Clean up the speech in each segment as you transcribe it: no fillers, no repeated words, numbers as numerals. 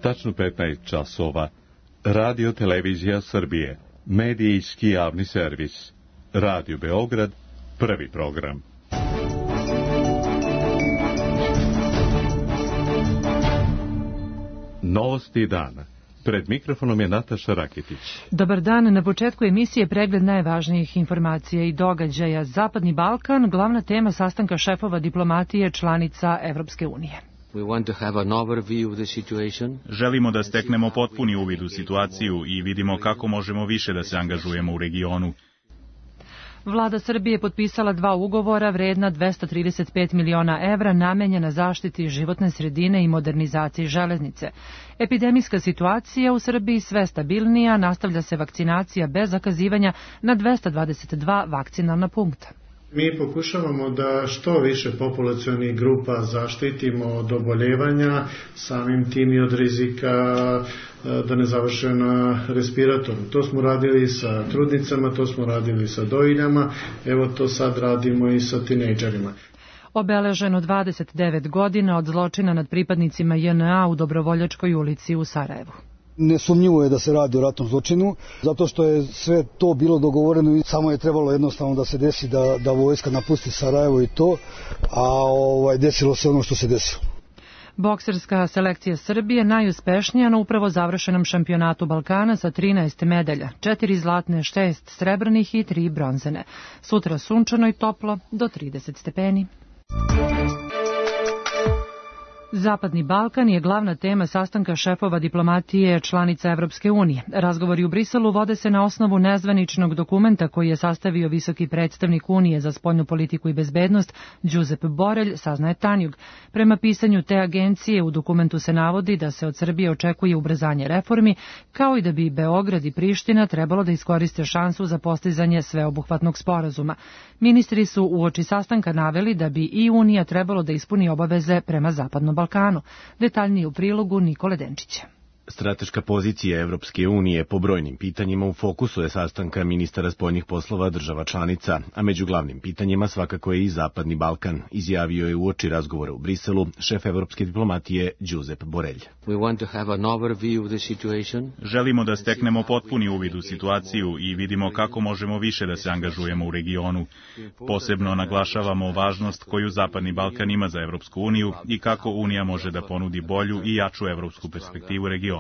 tačno 15 časova. Radio Televizija Srbije, medijski javni servis. Radio Beograd, prvi program. Novosti dana. Pred mikrofonom je Nataša Rakitić. Dobar dan, na početku emisije pregled najvažnijih informacija i događaja. Zapadni Balkan, glavna tema sastanka šefova diplomatije članica Evropske unije. Želimo da steknemo potpuni uvid u situaciju i vidimo kako možemo više da se angažujemo u regionu. Vlada Srbije potpisala 2 ugovora vredna 235 miliona evra namenjena zaštiti životne sredine i modernizaciji železnice. Epidemijska situacija u Srbiji sve stabilnija, nastavlja se vakcinacija bez zakazivanja na 222 vakcinalna punkta. Mi pokušavamo da što više populacionih grupa zaštitimo od oboljevanja, samim tim i od rizika da ne završe na respiratoru. To smo radili sa trudnicama, to smo radili sa dojiljama, evo to sad radimo i sa tinejdžerima. Obeleženo 29 godina od zločina nad pripadnicima JNA u Dobrovoljačkoj ulici u Sarajevu. Nesumnjivo je da se radi o ratnom zločinu, zato što je sve to bilo dogovoreno i samo je trebalo jednostavno da se desi da vojska napusti Sarajevo i to, a desilo se ono što se desilo. Bokserska selekcija Srbije najuspešnija na upravo završenom šampionatu Balkana sa 13 medalja, 4 zlatne, 6 srebrnih i 3 bronzene. Sutra sunčano i toplo do 30 stepeni. Zapadni Balkan je glavna tema sastanka šefova diplomatije članica Evropske unije. Razgovori u Briselu vode se na osnovu nezvaničnog dokumenta koji je sastavio visoki predstavnik Unije za spoljnu politiku i bezbednost Josep Borrell, saznaje Tanjug. Prema pisanju te agencije u dokumentu se navodi da se od Srbije očekuje ubrzanje reformi, kao i da bi Beograd i Priština trebalo da iskoriste šansu za postizanje sveobuhvatnog sporazuma. Ministri su uoči sastanka naveli da bi i Unija trebalo da ispuni obaveze prema Zapadnom Balkanu. Detaljnije u prilogu Nikole Denčića. Strateška pozicija Evropske unije po brojnim pitanjima u fokusu je sastanka ministara spoljnih poslova država članica, a među glavnim pitanjima svakako je i Zapadni Balkan, izjavio je uoči razgovora u Briselu šef evropske diplomatije Josep Borrell. Želimo da steknemo potpuni uvid u situaciju i vidimo kako možemo više da se angažujemo u regionu. Posebno naglašavamo važnost koju Zapadni Balkan ima za Evropsku uniju i kako Unija može da ponudi bolju i jaču evropsku perspektivu regiona.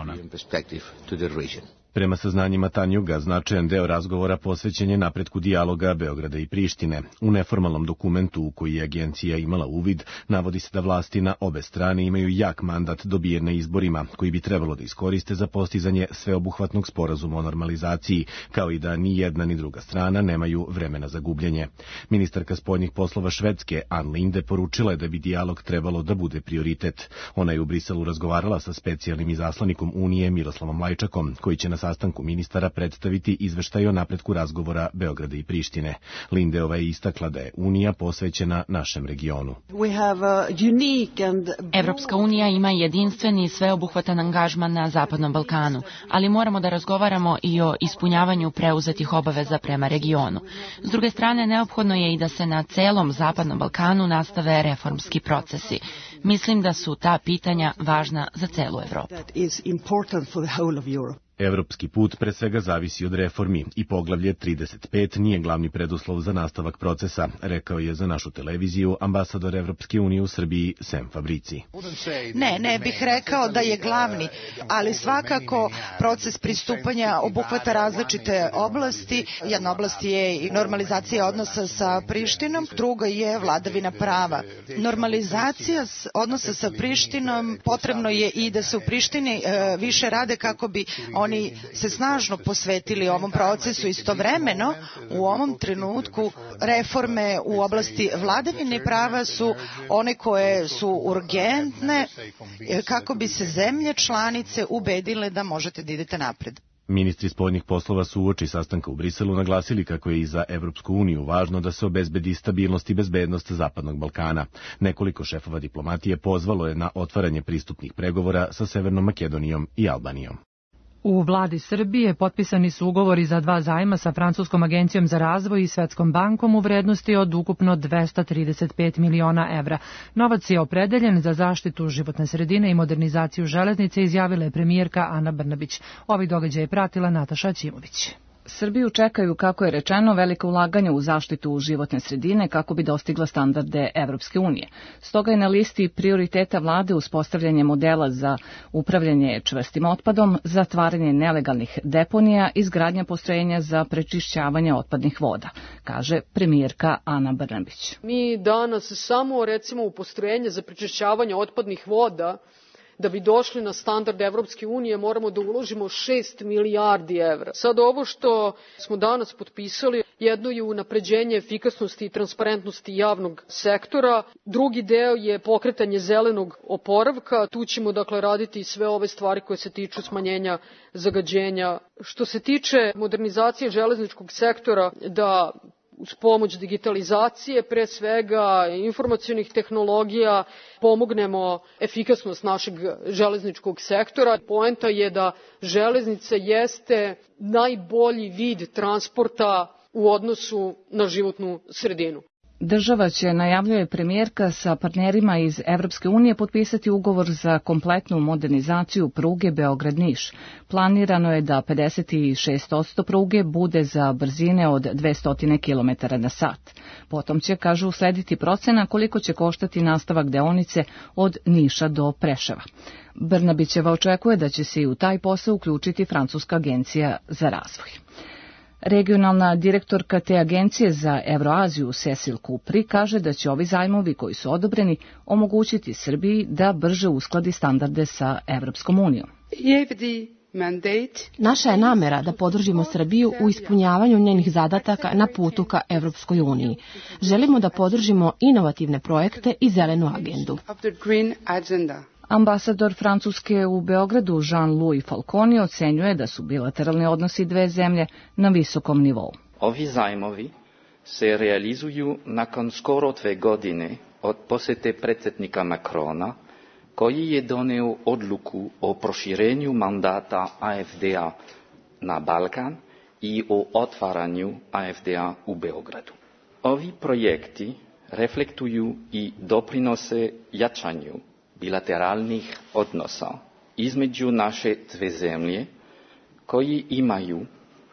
Prema saznanjima Tanjuga, značajan deo razgovora posvećen je napretku dijaloga Beograda i Prištine. U neformalnom dokumentu u koji je agencija imala uvid, navodi se da vlasti na obe strane imaju jak mandat dobijen na izborima, koji bi trebalo da iskoriste za postizanje sveobuhvatnog sporazuma o normalizaciji, kao i da ni jedna ni druga strana nemaju vremena za gubljenje. Ministarka spoljnih poslova Švedske, Ann Linde, poručila je da bi dijalog trebalo da bude prioritet. Ona je u Briselu razgovarala sa specijalnim izaslanikom Unije Miroslavom Lajčakom, koji će na sastanku ministara predstaviti izveštaj o napretku razgovora Beograda i Prištine. Lindeova je istakla da je Unija posvećena našem regionu. Evropska unija ima jedinstveni i sveobuhvatan angažman na Zapadnom Balkanu, ali moramo da razgovaramo i o ispunjavanju preuzetih obaveza prema regionu. S druge strane, neophodno je i da se na celom Zapadnom Balkanu nastave reformski procesi. Mislim da su ta pitanja važna za celu Evropu. Evropski put pre svega zavisi od reformi i poglavlje 35 nije glavni preduslov za nastavak procesa, rekao je za našu televiziju ambasador Evropske unije u Srbiji Sem Fabrici. Ne bih rekao da je glavni, ali svakako proces pristupanja obuhvata različite oblasti. Jedna oblast je i normalizacija odnosa sa Prištinom, druga je vladavina prava. Normalizacija odnosa sa Prištinom, potrebno je i da se u Prištini više rade kako bi oni se snažno posvetili ovom procesu. Istovremeno, u ovom trenutku reforme u oblasti vladavine prava su one koje su urgentne kako bi se zemlje članice ubedile da možete da idete napred. Ministri spoljnih poslova su uoči sastanka u Briselu naglasili kako je i za Evropsku uniju važno da se obezbedi stabilnost i bezbednost Zapadnog Balkana. Nekoliko šefova diplomatije pozvalo je na otvaranje pristupnih pregovora sa Severnom Makedonijom i Albanijom. U vladi Srbije potpisani su ugovori za 2 zajma sa Francuskom agencijom za razvoj i Svetskom bankom u vrednosti od ukupno 235 miliona evra. Novac je opredeljen za zaštitu životne sredine i modernizaciju železnice, izjavila je premijerka Ana Brnabić. Ovaj događaj je pratila Nataša Aćimović. Srbiju čekaju, kako je rečeno, velike ulaganja u zaštitu životne sredine kako bi dostigla standarde Evropske unije. Stoga je na listi prioriteta vlade uspostavljanje modela za upravljanje čvrstim otpadom, zatvaranje nelegalnih deponija i izgradnja postrojenja za prečišćavanje otpadnih voda, kaže premijerka Ana Brnabić. Mi danas samo, recimo, u postrojenje za prečišćavanje otpadnih voda, da bi došli na standard Evropske unije, moramo da uložimo 6 milijardi evra. Sad ovo što smo danas potpisali, jedno je unapređenje efikasnosti i transparentnosti javnog sektora, drugi deo je pokretanje zelenog oporavka, tu ćemo dakle raditi sve ove stvari koje se tiču smanjenja zagađenja. Što se tiče modernizacije železničkog sektora, da uz pomoć digitalizacije, pre svega informacionih tehnologija, pomognemo efikasnost našeg železničkog sektora. Poenta je da železnica jeste najbolji vid transporta u odnosu na životnu sredinu. Država će, najavljuje premijerka, sa partnerima iz Evropske unije potpisati ugovor za kompletnu modernizaciju pruge Beograd-Niš. Planirano je da 56% pruge bude za brzine od 200 km na sat. Potom će, kažu, uslediti procena koliko će koštati nastavak deonice od Niša do Preševa. Brnabićeva očekuje da će se i u taj posao uključiti Francuska agencija za razvoj. Regionalna direktorka te agencije za Evroaziju Cecil Kupri kaže da će ovi zajmovi koji su odobreni omogućiti Srbiji da brže uskladi standarde sa Evropskom unijom. Naša je namera da podržimo Srbiju u ispunjavanju njenih zadataka na putu ka Evropskoj uniji. Želimo da podržimo inovativne projekte i zelenu agendu. Ambasador Francuske u Beogradu Jean-Louis Falconi ocenjuje da su bilateralni odnosi dve zemlje na visokom nivou. Ovi zajmovi se realizuju nakon skoro 2 godine od posete predsjednika Macrona, koji je doneo odluku o proširenju mandata AFD-a na Balkan i o otvaranju AFD-a u Beogradu. Ovi projekti reflektuju i doprinose jačanju bilateralnih odnosa između naše dve zemlje, koji imaju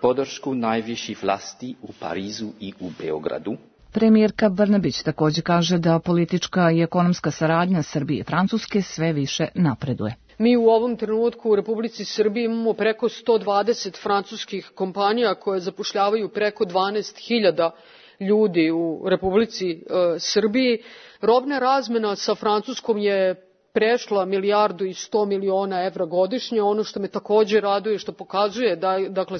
podršku najviših vlasti u Parizu i u Beogradu. Premijerka Brnabić također kaže da politička i ekonomska saradnja Srbije i Francuske sve više napreduje. Mi u ovom trenutku u Republici Srbiji imamo preko 120 francuskih kompanija koje zapošljavaju preko 12.000 ljudi u Republici Srbiji. Robna razmena sa Francuskom je prešla 1,1 milijardu evra godišnje. Ono što me također raduje, što pokazuje da, dakle,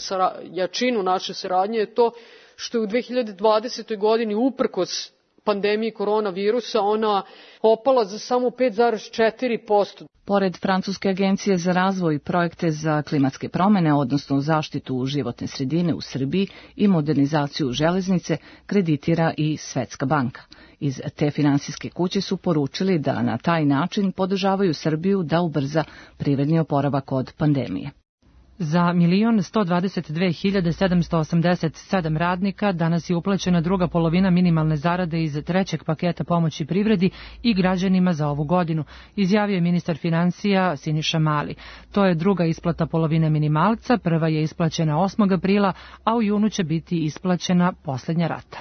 jačinu naše saradnje je to što je u 2020. godini uprkos pandemiji koronavirusa ona opala za samo 5,4%. Pored Francuske agencije za razvoj i projekte za klimatske promene, odnosno zaštitu životne sredine u Srbiji i modernizaciju železnice, kreditira i Svetska banka. Iz te finansijske kuće su poručili da na taj način podržavaju Srbiju da ubrza privredni oporavak od pandemije. Za 1.122.787 radnika danas je uplaćena druga polovina minimalne zarade iz trećeg paketa pomoći privredi i građanima za ovu godinu, izjavio je ministar financija Siniša Mali. To je druga isplata polovine minimalca, prva je isplaćena 8. aprila, a u junu će biti isplaćena posljednja rata.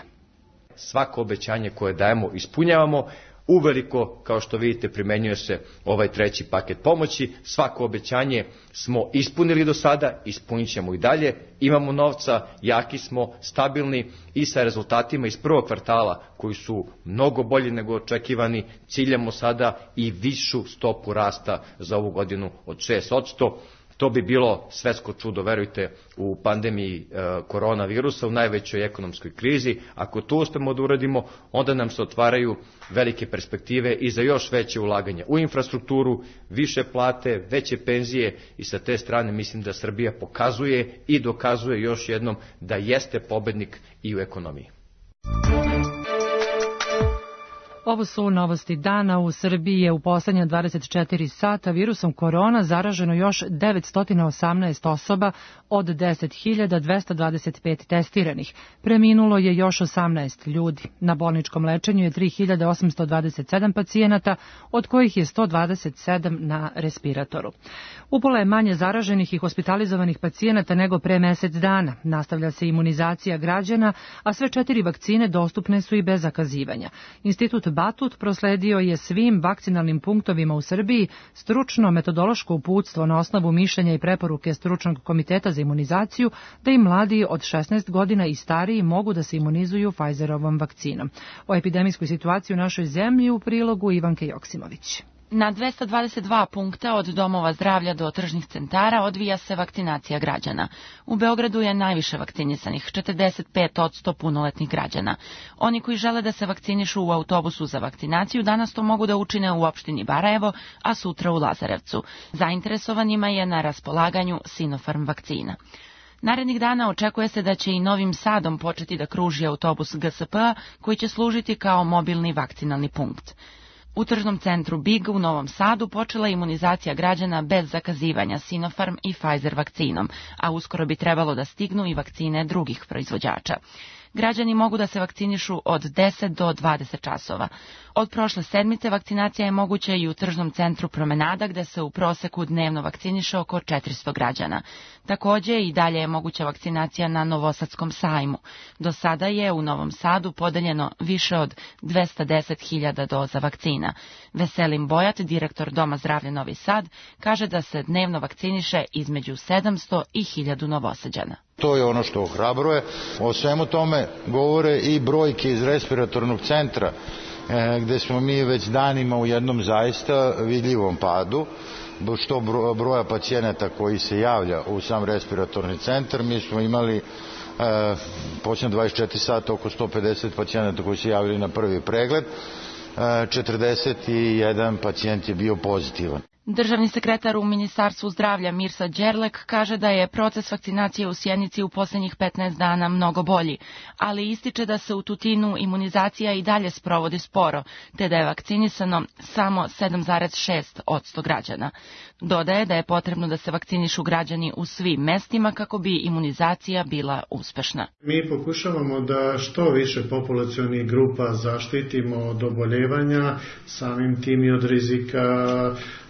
Svako obećanje koje dajemo ispunjavamo. Uveliko, kao što vidite, primenjuje se ovaj treći paket pomoći. Svako obećanje smo ispunili do sada, ispunit ćemo i dalje. Imamo novca, jaki smo, stabilni i sa rezultatima iz prvog kvartala koji su mnogo bolji nego očekivani. Ciljamo sada i višu stopu rasta za ovu godinu od 6%. To bi bilo svetsko čudo, verujte, u pandemiji koronavirusa, u najvećoj ekonomskoj krizi. Ako to uspemo da uradimo, onda nam se otvaraju velike perspektive i za još veće ulaganje u infrastrukturu, više plate, veće penzije i sa te strane mislim da Srbija pokazuje i dokazuje još jednom da jeste pobednik i u ekonomiji. Ovo su novosti dana. U Srbiji je u poslednja 24 sata virusom korona zaraženo još 918 osoba od 10.225 testiranih. Preminulo je još 18 ljudi. Na bolničkom lečenju je 3.827 pacijenata, od kojih je 127 na respiratoru. Upola je manje zaraženih i hospitalizovanih pacijenata nego pre mesec dana. Nastavlja se imunizacija građana, a sve 4 vakcine dostupne su i bez zakazivanja. Institut Batut prosledio je svim vakcinalnim punktovima u Srbiji stručno metodološko uputstvo na osnovu mišljenja i preporuke stručnog komiteta za imunizaciju da i mladi od 16 godina i stariji mogu da se imunizuju Pfizerovom vakcinom. O epidemijskoj situaciji u našoj zemlji u prilogu Ivanke Joksimović. Na 222 punkta od domova zdravlja do tržnih centara odvija se vakcinacija građana. U Beogradu je najviše vakcinisanih, 45% punoletnih građana. Oni koji žele da se vakcinišu u autobusu za vakcinaciju danas to mogu da učine u opštini Barajevo, a sutra u Lazarevcu. Zainteresovanima je na raspolaganju Sinopharm vakcina. Narednih dana očekuje se da će i Novim Sadom početi da kruži autobus GSP-a koji će služiti kao mobilni vakcinalni punkt. U tržnom centru Big u Novom Sadu počela je imunizacija građana bez zakazivanja Sinopharm i Pfizer vakcinom, a uskoro bi trebalo da stignu i vakcine drugih proizvođača. Građani mogu da se vakcinišu od 10 do 20 časova. Od prošle sedmice vakcinacija je moguća i u tržnom centru Promenada, gde se u proseku dnevno vakciniše oko 400 građana. Takođe i dalje je moguća vakcinacija na Novosadskom sajmu. Do sada je u Novom Sadu podeljeno više od 210.000 doza vakcina. Veselin Bojat, direktor Doma zdravlja Novi Sad, kaže da se dnevno vakciniše između 700 i 1000 Novosađana. To je ono što ohrabruje. O svemu tome govore i brojke iz respiratornog centra, gde smo mi već danima u jednom zaista vidljivom padu, što broja pacijenata koji se javlja u sam respiratorni centar. Mi smo imali počne 24 sata oko 150 pacijenata koji se javili na prvi pregled, 41 pacijent je bio pozitivan. Državni sekretar u Ministarstvu zdravlja Mirsa Đerlek kaže da je proces vakcinacije u Sjenici u poslednjih 15 dana mnogo bolji, ali ističe da se u Tutinu imunizacija i dalje sprovodi sporo, te da je vakcinisano samo 7,6% građana. Dodaje da je potrebno da se vakcinišu građani u svim mestima kako bi imunizacija bila uspešna. Mi pokušavamo da što više populacionih grupa zaštitimo od oboljevanja, samim tim i od rizika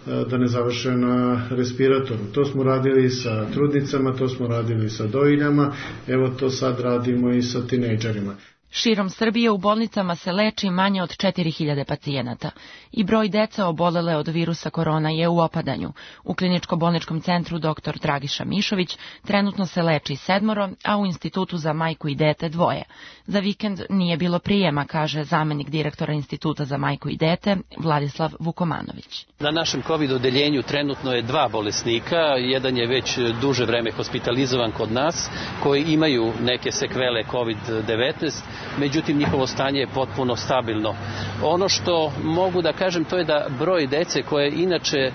da ne završe na respiratoru. To smo radili sa trudnicama, to smo radili sa dojiljama, evo to sad radimo i sa tinejdžerima. Širom Srbije u bolnicama se leči manje od 4000 pacijenata i broj dece obolele od virusa korona je u opadanju. U kliničko-bolničkom centru dr. Dragiša Mišović trenutno se leči 7, a u Institutu za majku i dete 2. Za vikend nije bilo prijema, kaže zamenik direktora Instituta za majku i dete Vladislav Vukomanović. Na našem COVID odeljenju trenutno je 2 bolesnika, jedan je već duže vreme hospitalizovan kod nas, koji imaju neke sekvele COVID-19, međutim njihovo stanje je potpuno stabilno. Ono što mogu da kažem to je da broj dece koje inače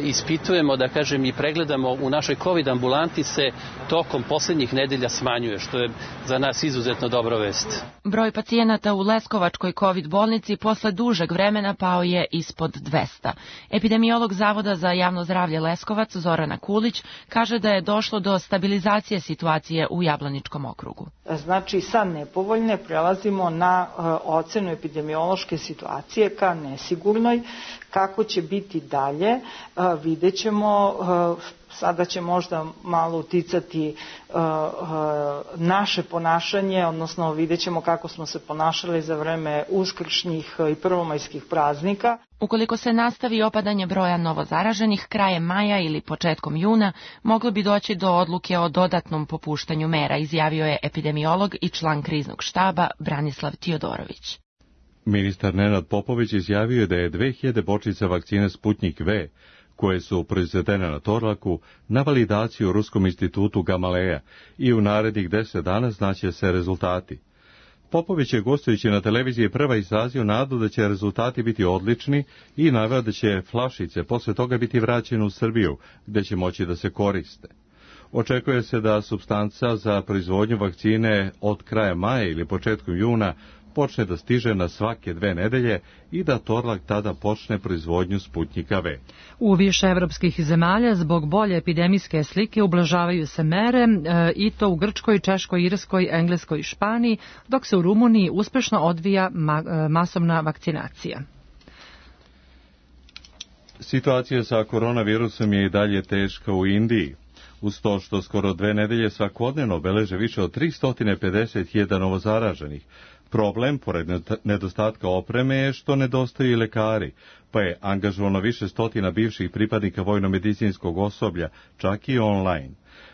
ispitujemo, da kažem i pregledamo u našoj COVID ambulanti se tokom poslednjih nedelja smanjuje, što je za nas izuzetno dobra vest. Broj pacijenata u Leskovačkoj COVID bolnici posle dužeg vremena pao je ispod 200. Epidemiolog Zavoda za javno zdravlje Leskovac Zorana Kulić kaže da je došlo do stabilizacije situacije u Jablaničkom okrugu. Znači sa nepovoljne prelazimo na ocenu epidemiološke situacije ka nesigurnoj. Kako će biti dalje, vidjet ćemo. Sada će možda malo uticati naše ponašanje, odnosno vidjet ćemo kako smo se ponašali za vreme uskršnjih i prvomajskih praznika. Ukoliko se nastavi opadanje broja novozaraženih, krajem maja ili početkom juna moglo bi doći do odluke o dodatnom popuštanju mera, izjavio je epidemiolog i član kriznog štaba Branislav Tiodorović. Ministar Nenad Popović izjavio da je 2000 bočica vakcine Sputnik V, koje su proizvedene na Torlaku, na validaciju u Ruskom institutu Gamaleja i u narednih 10 dana znaće se rezultati. Popović je gostujući na televiziji prva izrazio nadu da će rezultati biti odlični i naveo da će flašice posle toga biti vraćene u Srbiju, gde će moći da se koriste. Očekuje se da supstanca za proizvodnju vakcine od kraja maja ili početkom juna počne da stiže na svake 2 nedelje i da Torlak tada počne proizvodnju Sputnjika V. U više evropskih zemalja zbog bolje epidemijske slike ublažavaju se mere i to u Grčkoj, Češkoj, Irskoj, Engleskoj i Španiji, dok se u Rumuniji uspešno odvija masovna vakcinacija. Situacija sa koronavirusom je i dalje teška u Indiji. Uz to što skoro 2 nedelje svakodnevno beleže više od 350.000 novozaraženih. Problem, pored nedostatka opreme, je što nedostaju i lekari, pa je angažovano više stotina bivših pripadnika vojno-medicinskog osoblja, čak i online.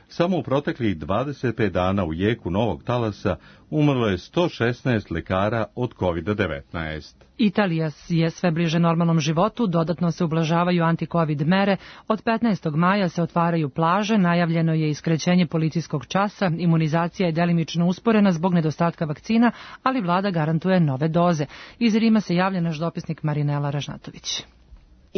Samo u proteklih 25 dana u jeku novog talasa umrlo je 116 lekara od COVID-19. Italija je sve bliže normalnom životu, dodatno se ublažavaju anti-covid mere, od 15. maja se otvaraju plaže, najavljeno je iskraćenje policijskog časa, imunizacija je delimično usporena zbog nedostatka vakcina, ali vlada garantuje nove doze. Iz Rima se javlja naš dopisnik Marinela Ražnatović.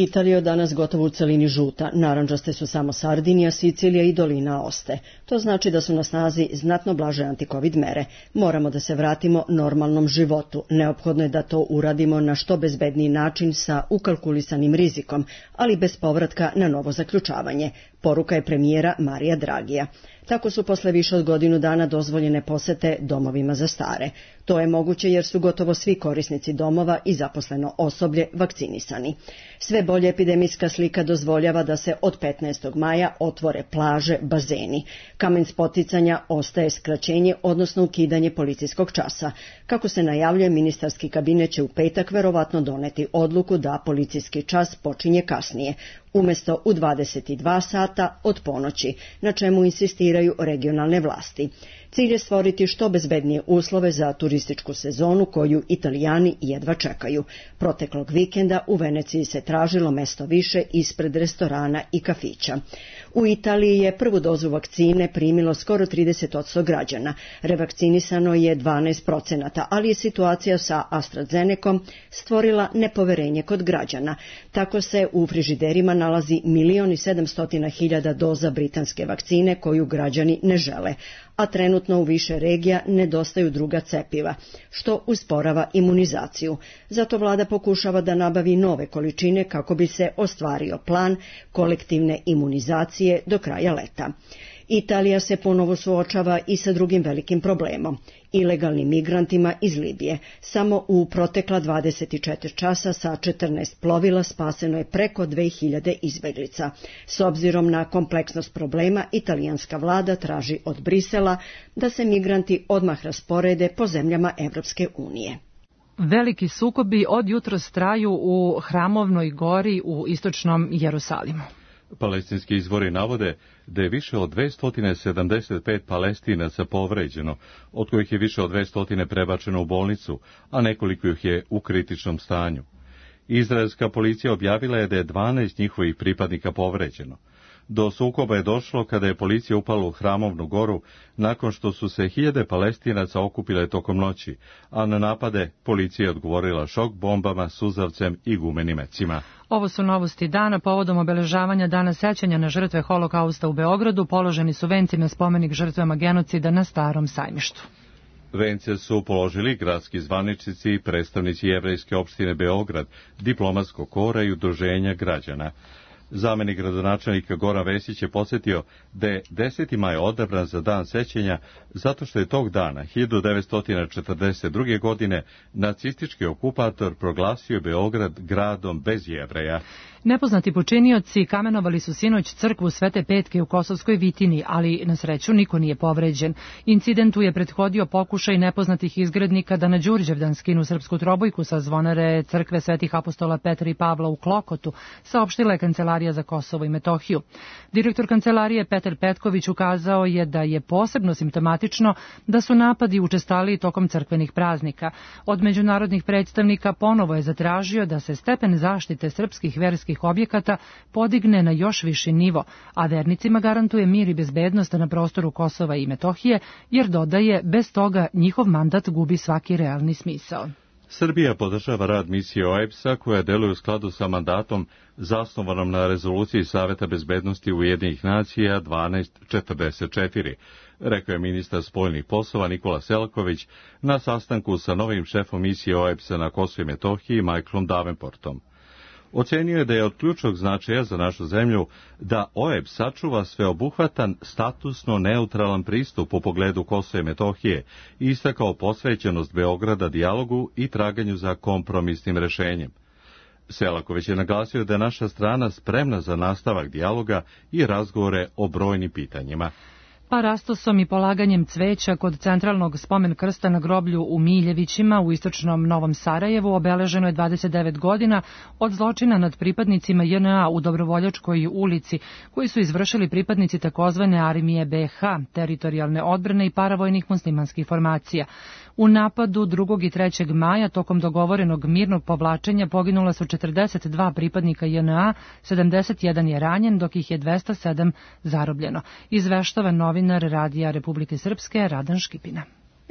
Italija je danas gotovo u celini žuta, narandžaste su samo Sardinija, Sicilija i dolina Oste. To znači da su na snazi znatno blaže antikovid mere. Moramo da se vratimo normalnom životu. Neophodno je da to uradimo na što bezbedniji način sa ukalkulisanim rizikom, ali bez povratka na novo zaključavanje. Poruka je premijera Marija Dragija. Tako su posle više od godinu dana dozvoljene posete domovima za stare. To je moguće jer su gotovo svi korisnici domova i zaposleno osoblje vakcinisani. Sve bolje epidemijska slika dozvoljava da se od 15. maja otvore plaže, bazeni. Kamen spoticanja ostaje skraćenje, odnosno ukidanje policijskog časa. Kako se najavljuje, ministarski kabinet će u petak verovatno doneti odluku da policijski čas počinje kasnije, umesto u 22 sata od ponoći, na čemu insistiraju regionalne vlasti. Cilj je stvoriti što bezbednije uslove za turističku sezonu koju Italijani jedva čekaju. Proteklog vikenda u Veneciji se tražilo mesto više ispred restorana i kafića. U Italiji je prvu dozu vakcine primilo skoro 30% građana. Revakcinisano je 12%, ali je situacija sa AstraZenecom stvorila nepoverenje kod građana. Tako se u frižiderima nalazi 1.700.000 doza britanske vakcine koju građani ne žele, a trenutno u više regija nedostaju druga cepiva, što usporava imunizaciju. Zato vlada pokušava da nabavi nove količine kako bi se ostvario plan kolektivne imunizacije do kraja leta. Italija se ponovo suočava i sa drugim velikim problemom, ilegalnim migrantima iz Libije. Samo u protekla 24 časa sa 14 plovila spaseno je preko 2000 izbeglica. S obzirom na kompleksnost problema, italijanska vlada traži od Brisela da se migranti odmah rasporede po zemljama Evropske unije. Veliki sukobi od jutros traju u Hramovnoj gori u istočnom Jerusalimu. Palestinski izvori navode da je više od 275 Palestinaca povređeno, od kojih je više od 200 prebačeno u bolnicu, a nekoliko ih je u kritičnom stanju. Izraelska policija objavila je da je 12 njihovih pripadnika povređeno. Do sukoba je došlo kada je policija upala u Hramovnu goru nakon što su se 1000 Palestinaca okupile tokom noći, a na napade policija je odgovorila šok bombama, suzavcem i gumenim mecima. Ovo su novosti dana. Povodom obeležavanja Dana sećanja na žrtve Holokausta u Beogradu položeni su venci na spomenik žrtvama genocida na Starom sajmištu. Vence su položili gradski zvaničnici i predstavnici jevrejske opštine Beograd, diplomatskog kora i udruženja građana. Zamenik gradonačelnika Goran Vesić je podsjetio da je 10. maj odabran za dan sećanja zato što je tog dana 1942. godine nacistički okupator proglasio Beograd gradom bez Jevreja. Nepoznati počinioci kamenovali su sinoć crkvu Svete Petke u Kosovskoj Vitini, ali na sreću niko nije povređen. Incidentu je prethodio pokušaj nepoznatih izgrednika da na Đurđevdan skinu srpsku trobojku sa zvonare crkve Svetih apostola Petra i Pavla u Klokotu, saopštila je Kancelarija za Kosovo i Metohiju. Direktor kancelarije Petar Petković ukazao je da je posebno simptomatično da su napadi učestaliji tokom crkvenih praznika. Od međunarodnih predstavnika ponovo je zatražio da se stepen zaštite srpskih verskih objekata podigne na još viši nivo, a vernicima garantuje mir i bezbednost na prostoru Kosova i Metohije, jer dodaje, bez toga njihov mandat gubi svaki realni smisao. Srbija podržava rad misije OEBS-a koja deluje u skladu sa mandatom zasnovanom na rezoluciji Saveta bezbednosti Ujedinjenih nacija 1244, rekao je ministar spoljnih poslova Nikola Selaković na sastanku sa novim šefom misije OEBS-a na Kosovu i Metohiji Michaelom Davenportom. Ocenio je da je od ključnog značaja za našu zemlju da OEBS sačuva sveobuhvatan, statusno neutralan pristup u pogledu Kosova i Metohije i istakao posvećenost Beograda dijalogu i traganju za kompromisnim rešenjem. Selaković je naglasio da je naša strana spremna za nastavak dijaloga i razgovore o brojnim pitanjima. Parastosom i polaganjem cveća kod centralnog spomen krsta na groblju u Miljevićima u istočnom Novom Sarajevu obeleženo je 29 godina od zločina nad pripadnicima JNA u Dobrovoljačkoj ulici, koji su izvršili pripadnici takozvane Armije BiH, teritorijalne odbrane i paravojnih muslimanskih formacija. U napadu 2. i 3. maja tokom dogovorenog mirnog povlačenja poginula su 42 pripadnika JNA, 71 je ranjen, dok ih je 207 zarobljeno. Izveštava novinar Radija Republike Srpske Radan Škipina.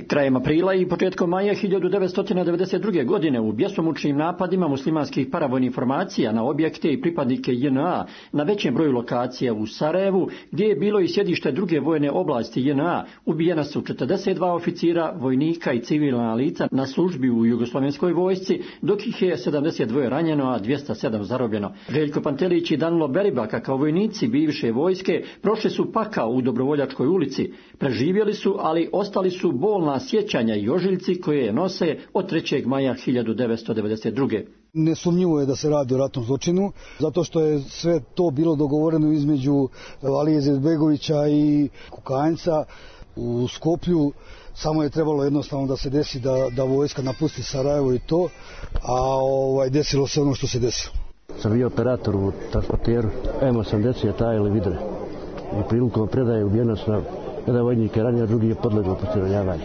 Krajem aprila i početkom maja 1992. godine u bjesomučnim napadima muslimanskih paravojnih formacija na objekte i pripadnike JNA na većem broju lokacija u Sarajevu, gdje je bilo i sjedište druge vojne oblasti JNA, ubijena su 42 oficira, vojnika i civilna lica na službi u Jugoslovenskoj vojsci, dok ih je 72 ranjeno, a 207 zarobljeno. Željko Pantelić i Danilo Beribaka kao vojnici bivše vojske prošli su pakao u Dobrovoljačkoj ulici. Preživjeli su, ali ostali su bolna sjećanja i ožiljci koje nose od 3. maja 1992. Nesumnjivo je da se radi o ratnom zločinu, zato što je sve to bilo dogovoreno između Alije Izetbegovića i Kukanjca u Skoplju. Samo je trebalo jednostavno da se desi da vojska napusti Sarajevo i to, a desilo se ono što se desilo. Sam bio operator u transporteru M80 Tajli Vidre i prilikom predaje ubijeno na jedan vojnik je ranjen, a drugi je podlegao postreljavanju.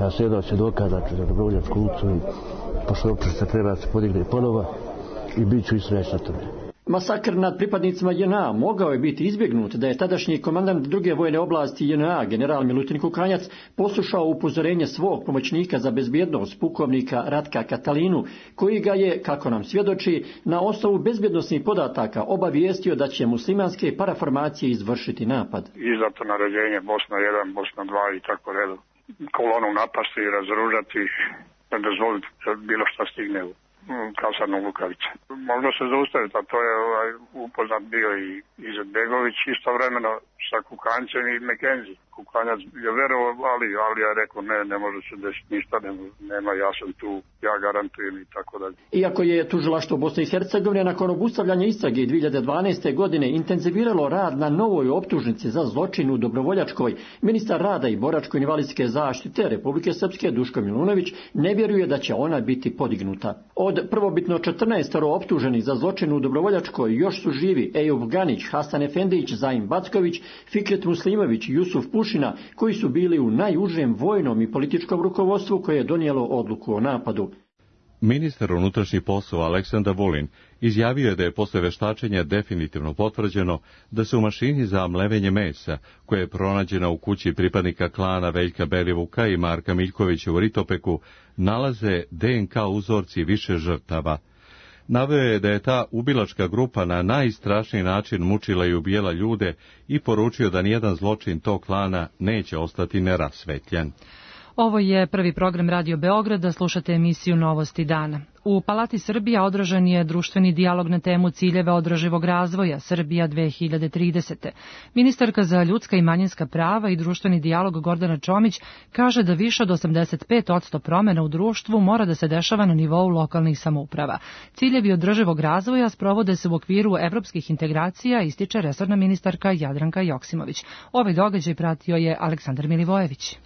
Ja sam jedan svjedoka, znači, za Dobrovoljačku ulicu i pošto optužnica treba se podigne ponovo i bit ću istražen sa tome. Masakr nad pripadnicima JNA mogao je biti izbjegnut da je tadašnji komandant druge vojne oblasti JNA, general Milutin Kukanjac, poslušao upozorenje svog pomoćnika za bezbjednost, pukovnika Ratka Katalinu, koji ga je, kako nam svjedoči, na osnovu bezbjednosnih podataka obavijestio da će muslimanske paraformacije izvršiti napad. Izdato naređenje Bosna 1, Bosna 2 i tako redu. Kolonu napasti i razoružati, ne dozvoliti bilo šta stigne u kasarnu Lukavice. Možda se zaustaviti, a to je upoznat bio i Izetbegović istovremeno sa Kukanjcem i McKenzie. Kukanjac je verovao, ali ja rekao ne može se desiti ništa, nema, ja sam tu, ja garantujem i tako dalje. Iako je tužilaštvo Bosne i Hercegovine nakon obustavljanja istrage 2012. godine intenziviralo rad na novoj optužnici za zločin u Dobrovoljačkoj, ministar rada i boračko-invalidske zaštite Republike Srpske Duško Milunović ne vjeruje da će ona biti podignuta. Od prvobitno 14 optuženih za zločin u Dobrovoljačkoj još su živi Ejub Ganić, Hasan Efendić, Zaim Backović, Fikret Muslimović i Jusuf Pušina, koji su bili u najužem vojnom i političkom rukovodstvu koje je donijelo odluku o napadu. Ministar unutrašnjih poslova Aleksandar Vulin izjavio je da je posle veštačenja definitivno potvrđeno da se u mašini za mlevenje mesa, koja je pronađena u kući pripadnika klana Veljka Belivuka i Marka Miljkovića u Ritopeku, nalaze DNK uzorci više žrtava. Naveo je da je ta ubilačka grupa na najstrašniji način mučila i ubijala ljude i poručio da nijedan zločin tog klana neće ostati nerasvetljen. Ovo je prvi program Radio Beograda, slušate emisiju Novosti dana. U Palati Srbija održan je društveni dijalog na temu ciljeva održivog razvoja Srbija 2030. Ministarka za ljudska i manjinska prava i društveni dijalog Gordana Čomić kaže da više od 85% promjena u društvu mora da se dešava na nivou lokalnih samouprava. Ciljevi održivog razvoja sprovode se u okviru evropskih integracija, ističe resorna ministarka Jadranka Joksimović. Ovaj događaj pratio je Aleksandar Milivojević.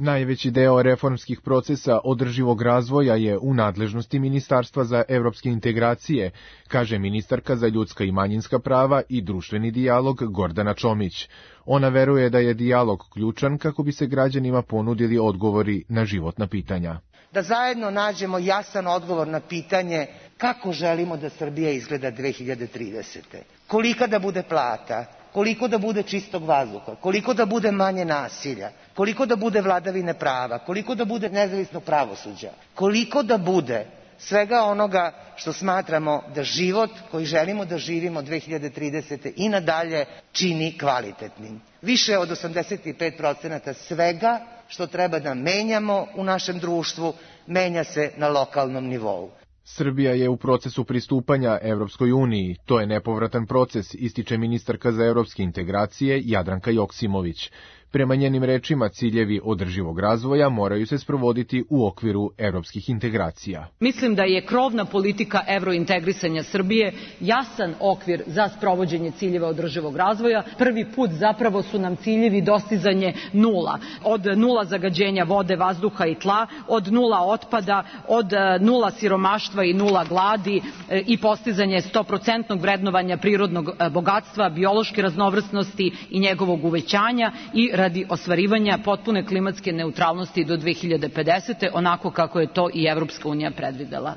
Najveći deo reformskih procesa održivog razvoja je u nadležnosti Ministarstva za evropske integracije, kaže ministarka za ljudska i manjinska prava i društveni dijalog Gordana Čomić. Ona veruje da je dijalog ključan kako bi se građanima ponudili odgovori na životna pitanja. Da zajedno nađemo jasan odgovor na pitanje kako želimo da Srbija izgleda 2030. Kolika da bude plata, koliko da bude čistog vazduha, koliko da bude manje nasilja, koliko da bude vladavine prava, koliko da bude nezavisnog pravosuđa, koliko da bude svega onoga što smatramo da život koji želimo da živimo 2030. i nadalje čini kvalitetnim. Više od 85% svega što treba da menjamo u našem društvu menja se na lokalnom nivou. Srbija je u procesu pristupanja Evropskoj uniji. To je nepovratan proces, ističe ministarka za evropske integracije Jadranka Joksimović. Prema njenim rečima, ciljevi održivog razvoja moraju se sprovoditi u okviru evropskih integracija. Mislim da je krovna politika evrointegrisanja Srbije jasan okvir za sprovođenje ciljeva održivog razvoja. Prvi put zapravo su nam ciljevi dostizanje nula. Od nula zagađenja vode, vazduha i tla, od nula otpada, od nula siromaštva i nula gladi i postizanje 100% vrednovanja prirodnog bogatstva, biološke raznovrsnosti i njegovog uvećanja i radi ostvarivanja potpune klimatske neutralnosti do 2050. onako kako je to i Evropska unija predvidela.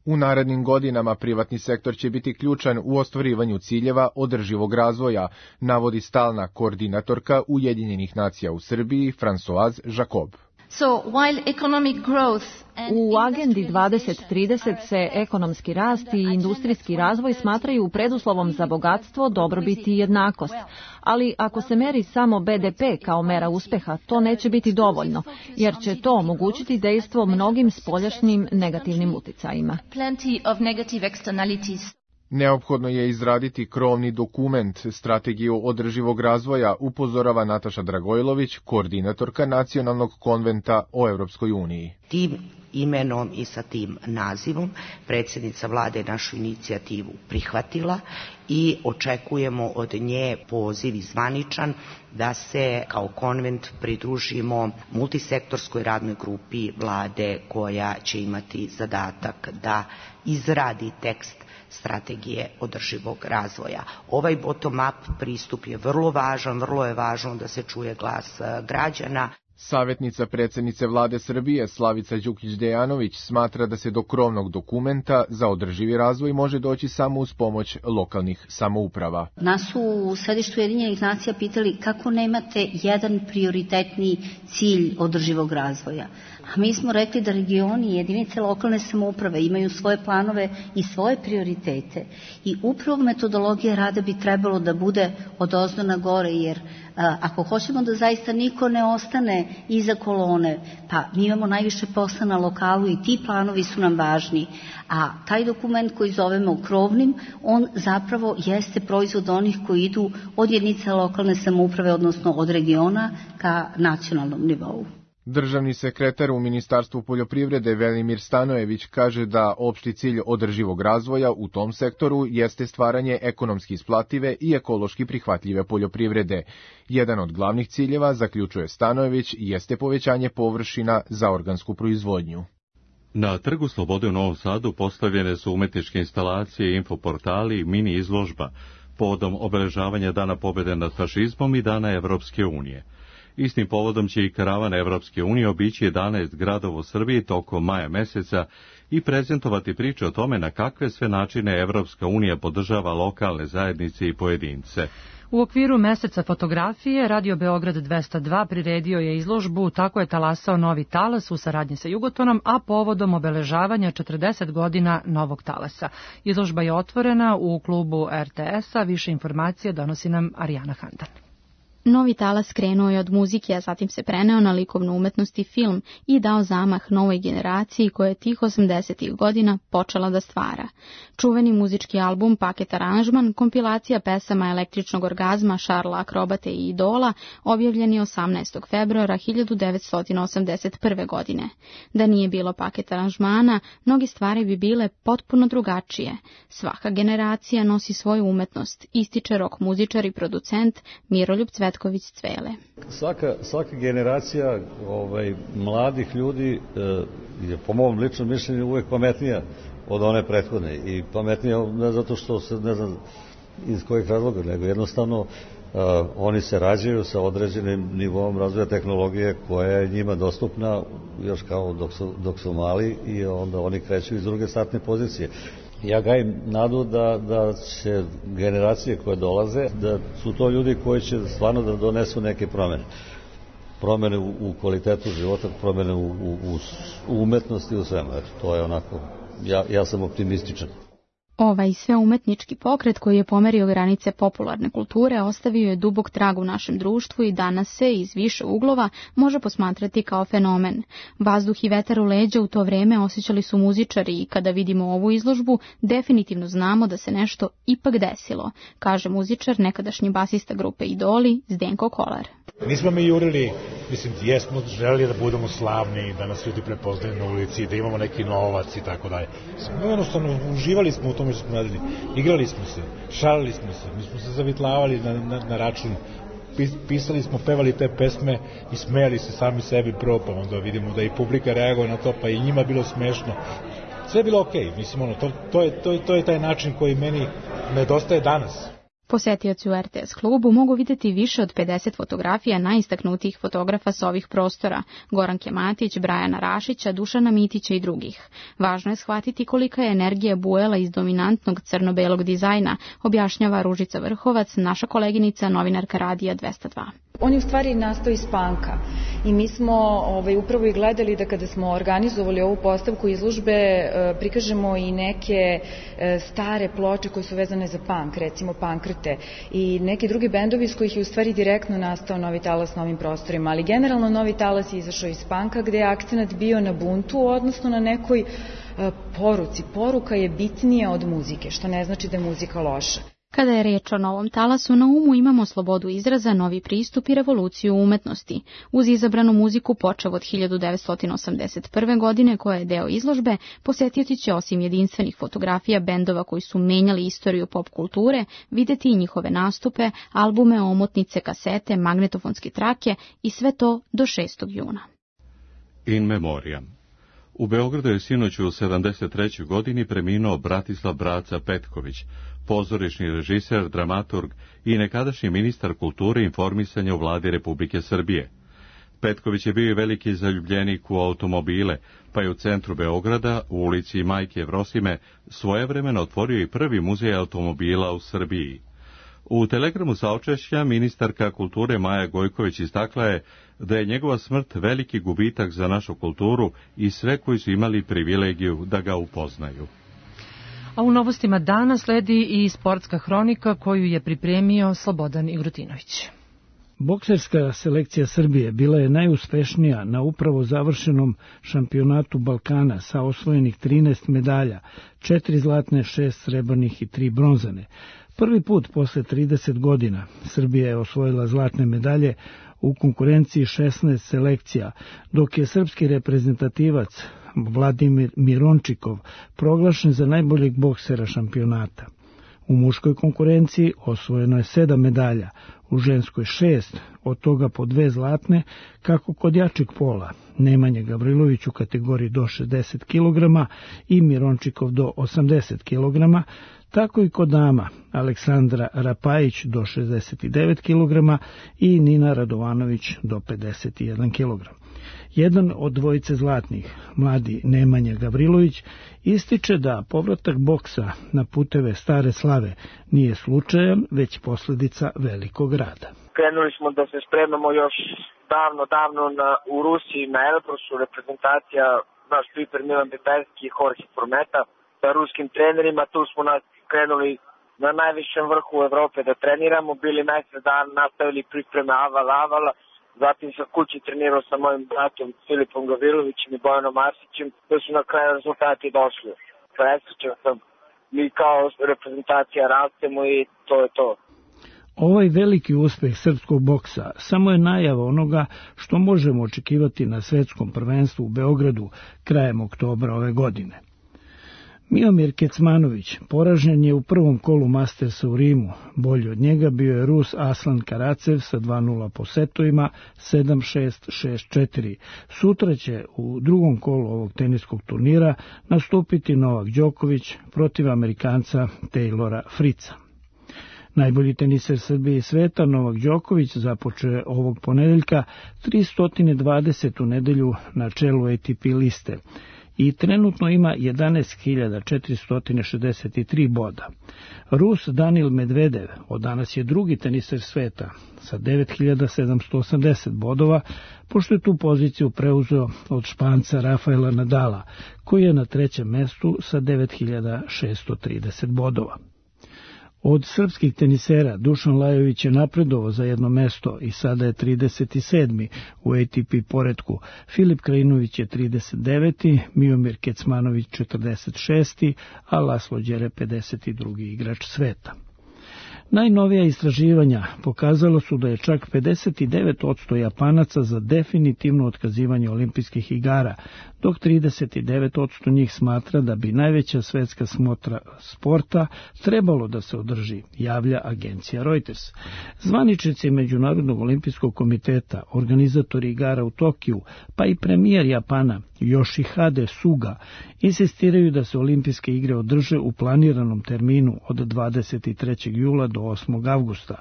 U narednim godinama privatni sektor će biti ključan u ostvarivanju ciljeva održivog razvoja, navodi stalna koordinatorka Ujedinjenih nacija u Srbiji Françoise Jacob. U agendi 2030 se ekonomski rast i industrijski razvoj smatraju preduslovom za bogatstvo, dobrobit i jednakost. Ali ako se meri samo BDP kao mera uspeha, to neće biti dovoljno, jer će to omogućiti dejstvo mnogim spoljašnjim negativnim uticajima. Neophodno je izraditi krovni dokument, strategiju održivog razvoja, upozorava Nataša Dragojlović, koordinatorka Nacionalnog konventa o Evropskoj uniji. Tim imenom i sa tim nazivom predsjednica vlade našu inicijativu prihvatila i očekujemo od nje poziv zvaničan da se kao konvent pridružimo multisektorskoj radnoj grupi vlade koja će imati zadatak da izradi tekst strategije održivog razvoja. Ovaj bottom-up pristup je vrlo važan, vrlo je važno da se čuje glas građana. Savjetnica predsjednice vlade Srbije Slavica Đukić-Dejanović smatra da se do krovnog dokumenta za održivi razvoj može doći samo uz pomoć lokalnih samouprava. Nas su u središtu Ujedinjenih nacija pitali kako nemate jedan prioritetni cilj održivog razvoja. A mi smo rekli da regioni i jedinice lokalne samouprave imaju svoje planove i svoje prioritete. I upravo metodologija rada bi trebalo da bude odozdo na gore, jer ako hoćemo da zaista niko ne ostane iza kolone, pa mi imamo najviše posla na lokalu i ti planovi su nam važni. A taj dokument koji zovemo krovnim, on zapravo jeste proizvod onih koji idu od jedinica lokalne samouprave, odnosno od regiona ka nacionalnom nivou. Državni sekretar u Ministarstvu poljoprivrede Velimir Stanojević kaže da opšti cilj održivog razvoja u tom sektoru jeste stvaranje ekonomski isplative i ekološki prihvatljive poljoprivrede. Jedan od glavnih ciljeva, zaključuje Stanojević, jeste povećanje površina za organsku proizvodnju. Na Trgu Slobode u Novom Sadu postavljene su umetničke instalacije, infoportali i mini izložba povodom obeležavanja Dana pobjede nad fašizmom i Dana Evropske unije. Istim povodom će i karavan Evropske unije obići 11 gradova u Srbiji tokom maja meseca i prezentovati priče o tome na kakve sve načine Evropska unija podržava lokalne zajednice i pojedince. U okviru meseca fotografije Radio Beograd 202 priredio je izložbu Tako je talasao novi talas u saradnji sa Jugotonom, a povodom obeležavanja 40 godina novog talasa. Izložba je otvorena u klubu RTS-a, više informacije donosi nam Arijana Handan. Novi talas krenuo je od muzike, a zatim se preneo na likovnu umetnost i film i dao zamah novoj generaciji koja je tih 80-ih godina počela da stvara. Čuveni muzički album Paket aranžman, kompilacija pesama Električnog orgazma, Šarla Akrobate i Idola, objavljen je 18. februara 1981. godine. Da nije bilo Paket aranžmana, mnoge stvari bi bile potpuno drugačije. Svaka generacija nosi svoju umetnost, ističe rok muzičar i producent Miroljub Cvetković-Cvele. Svaka generacija mladih ljudi je po mom ličnom mišljenju uvek pametnija od one prethodne i pametnija ne zato što se ne znam iz kojih razloga, nego jednostavno oni se rađaju sa određenim nivom razvoja tehnologije koja je njima dostupna još kao dok su mali i onda oni kreću iz druge startne pozicije. Ja gajim nadu da će generacije koje dolaze, da su to ljudi koji će stvarno da donesu neke promene. Promene u kvalitetu života, promene u umetnosti, u svemu. To je onako, ja sam optimističan. Ovaj sveumetnički pokret koji je pomerio granice popularne kulture ostavio je dubok trag u našem društvu i danas se iz više uglova može posmatrati kao fenomen. Vazduh i vetar u leđa u to vreme osjećali su muzičari i kada vidimo ovu izložbu definitivno znamo da se nešto ipak desilo, kaže muzičar, nekadašnji basista grupe Idoli, Zdenko Kolar. Nismo mi jurili, jesmo želeli da budemo slavni, da nas ljudi prepoznaju na ulici, da imamo neki novac i tako dalje. Jednostavno, uživali smo u tome što smo radili. Igrali smo se, šalili smo se, mi smo se zavitlavali na račun, pisali smo, pevali te pesme i smejali se sami sebi prvo, pa onda vidimo da i publika reaguje na to, pa i njima bilo smešno. Sve je bilo okej, to je taj način koji meni nedostaje danas. Posetioci u RTS klubu mogu vidjeti više od 50 fotografija najistaknutijih fotografa s ovih prostora, Goranke Matić, Brajana Rašića, Dušana Mitića i drugih. Važno je shvatiti kolika je energija bujala iz dominantnog crno-belog dizajna, objašnjava Ružica Vrhovac, naša koleginica, novinarka Radija 202. On je u stvari nastao iz panka i mi smo upravo i gledali da kada smo organizovali ovu postavku izložbe prikažemo i neke stare ploče koje su vezane za pank, recimo Pankrte i neki drugi bendovi iz kojih je u stvari direktno nastao Novi talas na ovim prostorima, ali generalno Novi talas je izašao iz panka gde je akcenat bio na buntu, odnosno na nekoj poruci. Poruka je bitnija od muzike, što ne znači da je muzika loša. Kada je riječ o novom talasu, na umu imamo slobodu izraza, novi pristup i revoluciju umetnosti. Uz izabranu muziku počev od 1981. godine, koja je deo izložbe, posjetioci će osim jedinstvenih fotografija bendova koji su menjali istoriju pop kulture, vidjeti i njihove nastupe, albume, omotnice, kasete, magnetofonske trake i sve to do 6. juna. In memoriam. U Beogradu je sinoć u 73. godini preminuo Bratislav Braca Petković, pozorišni režiser, dramaturg i nekadašnji ministar kulture i informisanja u vladi Republike Srbije. Petković je bio veliki zaljubljenik u automobile, pa je u centru Beograda, u ulici Majke Jevrosime, svojevremeno otvorio i prvi muzej automobila u Srbiji. U telegramu saučešća ministarka kulture Maja Gojković istakla je da je njegova smrt veliki gubitak za našu kulturu i sve koji su imali privilegiju da ga upoznaju. A u novostima dana sledi i sportska hronika koju je pripremio Slobodan Igrutinović. Bokserska selekcija Srbije bila je najuspešnija na upravo završenom šampionatu Balkana sa osvojenih 13 medalja, 4 zlatne, 6 srebrnih i 3 bronzane. Prvi put posle 30 godina Srbija je osvojila zlatne medalje u konkurenciji 16 selekcija, dok je srpski reprezentativac Vladimir Mirončikov proglašen za najboljeg boksera šampionata. U muškoj konkurenciji osvojeno je 7 medalja, u ženskoj 6, od toga po 2 zlatne, kako kod jačeg pola, Nemanja Gavrilović u kategoriji do 60 kg i Mirončikov do 80 kg, tako i kod dama, Aleksandra Rapajić do 69 kg i Nina Radovanović do 51 kg. Jedan od dvojice zlatnih, mladi Nemanja Gavrilović, ističe da povratak boksa na puteve stare slave nije slučajan, već posljedica velikog rada. Krenuli smo da se spremamo još davno u Rusiji na Elbrusu, reprezentacija naš piper Milan Betajski i Jorge Formeta sa ruskim trenerima. Tu smo krenuli na najvišem vrhu Evrope da treniramo, bili najsred dan, nastavili pripreme avala, zatim sam kući trenirao sa mojim bratom Filipom Gavrilovićem i Bojanom Arsićem, da su na kraju rezultati došli. Presrećan sam, mi kao reprezentacija rastemo i to je to. Ovaj veliki uspeh srpskog boksa samo je najava onoga što možemo očekivati na svetskom prvenstvu u Beogradu krajem oktobra ove godine. Miomir Kecmanović poražen je u prvom kolu Mastersa u Rimu. Bolji od njega bio je Rus Aslan Karacev sa 2-0 po setovima, 7-6, 6-4. Sutra će u drugom kolu ovog teniskog turnira nastupiti Novak Đoković protiv Amerikanca Taylora Fritza. Najbolji teniser Srbije i sveta Novak Đoković započeo je ovog ponedeljka 320. nedelju na čelu ATP liste. i trenutno ima 11.463 boda. Rus Danil Medvedev od danas je drugi teniser sveta sa 9.780 bodova, pošto je tu poziciju preuzeo od Španca Rafaela Nadala, koji je na trećem mestu sa 9.630 bodova. Od srpskih tenisera Dušan Lajović je napredovao za jedno mesto i sada je 37. u ATP poretku. Filip Krajinović je 39. Miomir Kecmanović 46. a Laslo Đere 52. igrač sveta. Najnovija istraživanja pokazalo su da je čak 59% Japanaca za definitivno otkazivanje olimpijskih igara, dok 39% njih smatra da bi najveća svetska smotra sporta trebalo da se održi, javlja agencija Reuters. Zvaničnici Međunarodnog olimpijskog komiteta, organizatori igara u Tokiju, pa i premijer Japana Yoshihide Suga insistiraju da se olimpijske igre održe u planiranom terminu od 23. jula do 8. avgusta.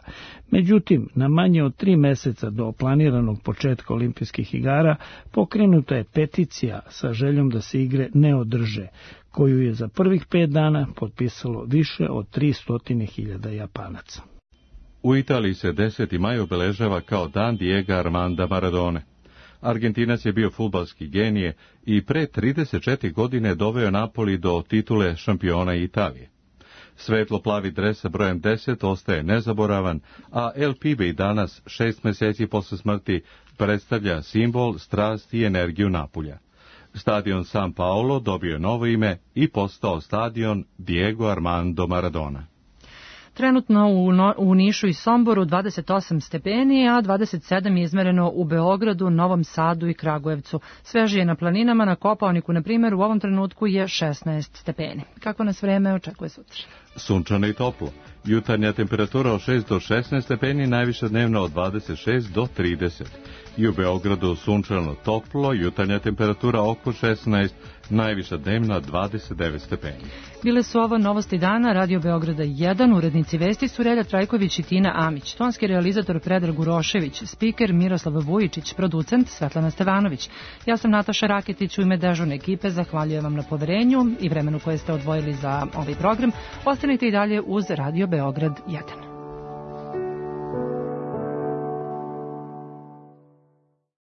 Međutim, na manje od 3 meseca do planiranog početka olimpijskih igara pokrenuta je peticija sa željom da se igre ne održe, koju je za prvih 5 dana potpisalo više od 300.000 Japanaca. U Italiji se 10. maj obeležava kao dan Diego Armanda Maradone. Argentinac je bio fudbalski genije i pre 34 godine doveo Napoli do titule šampiona Italije. Svetlo-plavi dres sa brojem 10 ostaje nezaboravan, a El Pibe i danas, 6 meseci posle smrti, predstavlja simbol, strast i energiju Napulja. Stadion San Paolo dobio je novo ime i postao stadion Diego Armando Maradona. Trenutno u Nišu i Somboru 28 stepeni, a 27 je izmereno u Beogradu, Novom Sadu i Kragujevcu. Svežije na planinama, na Kopaoniku, na primjer, u ovom trenutku je 16 stepeni. Kako nas vreme očekuje sutra? Sunčano i toplo. Jutarnja temperatura od 6 do 16 stepeni, najviša dnevna od 26 do 30. I u Beogradu sunčano toplo, jutarnja temperatura oko 16, najviša dnevna 29 stepeni. Bile su ovo novosti dana, Radio Beograda 1, urednici vesti su Relja Trajković i Tina Amić, tonski realizator Predrag Urošević, spiker Miroslav Vujičić, producent Svetlana Stevanović. Ja sam Nataša Raketić, u ime dežurne ekipe zahvaljujem vam na poverenju i vremenu koje ste odvojili za ovaj program. Ostanite i dalje uz Radio Beograd 1.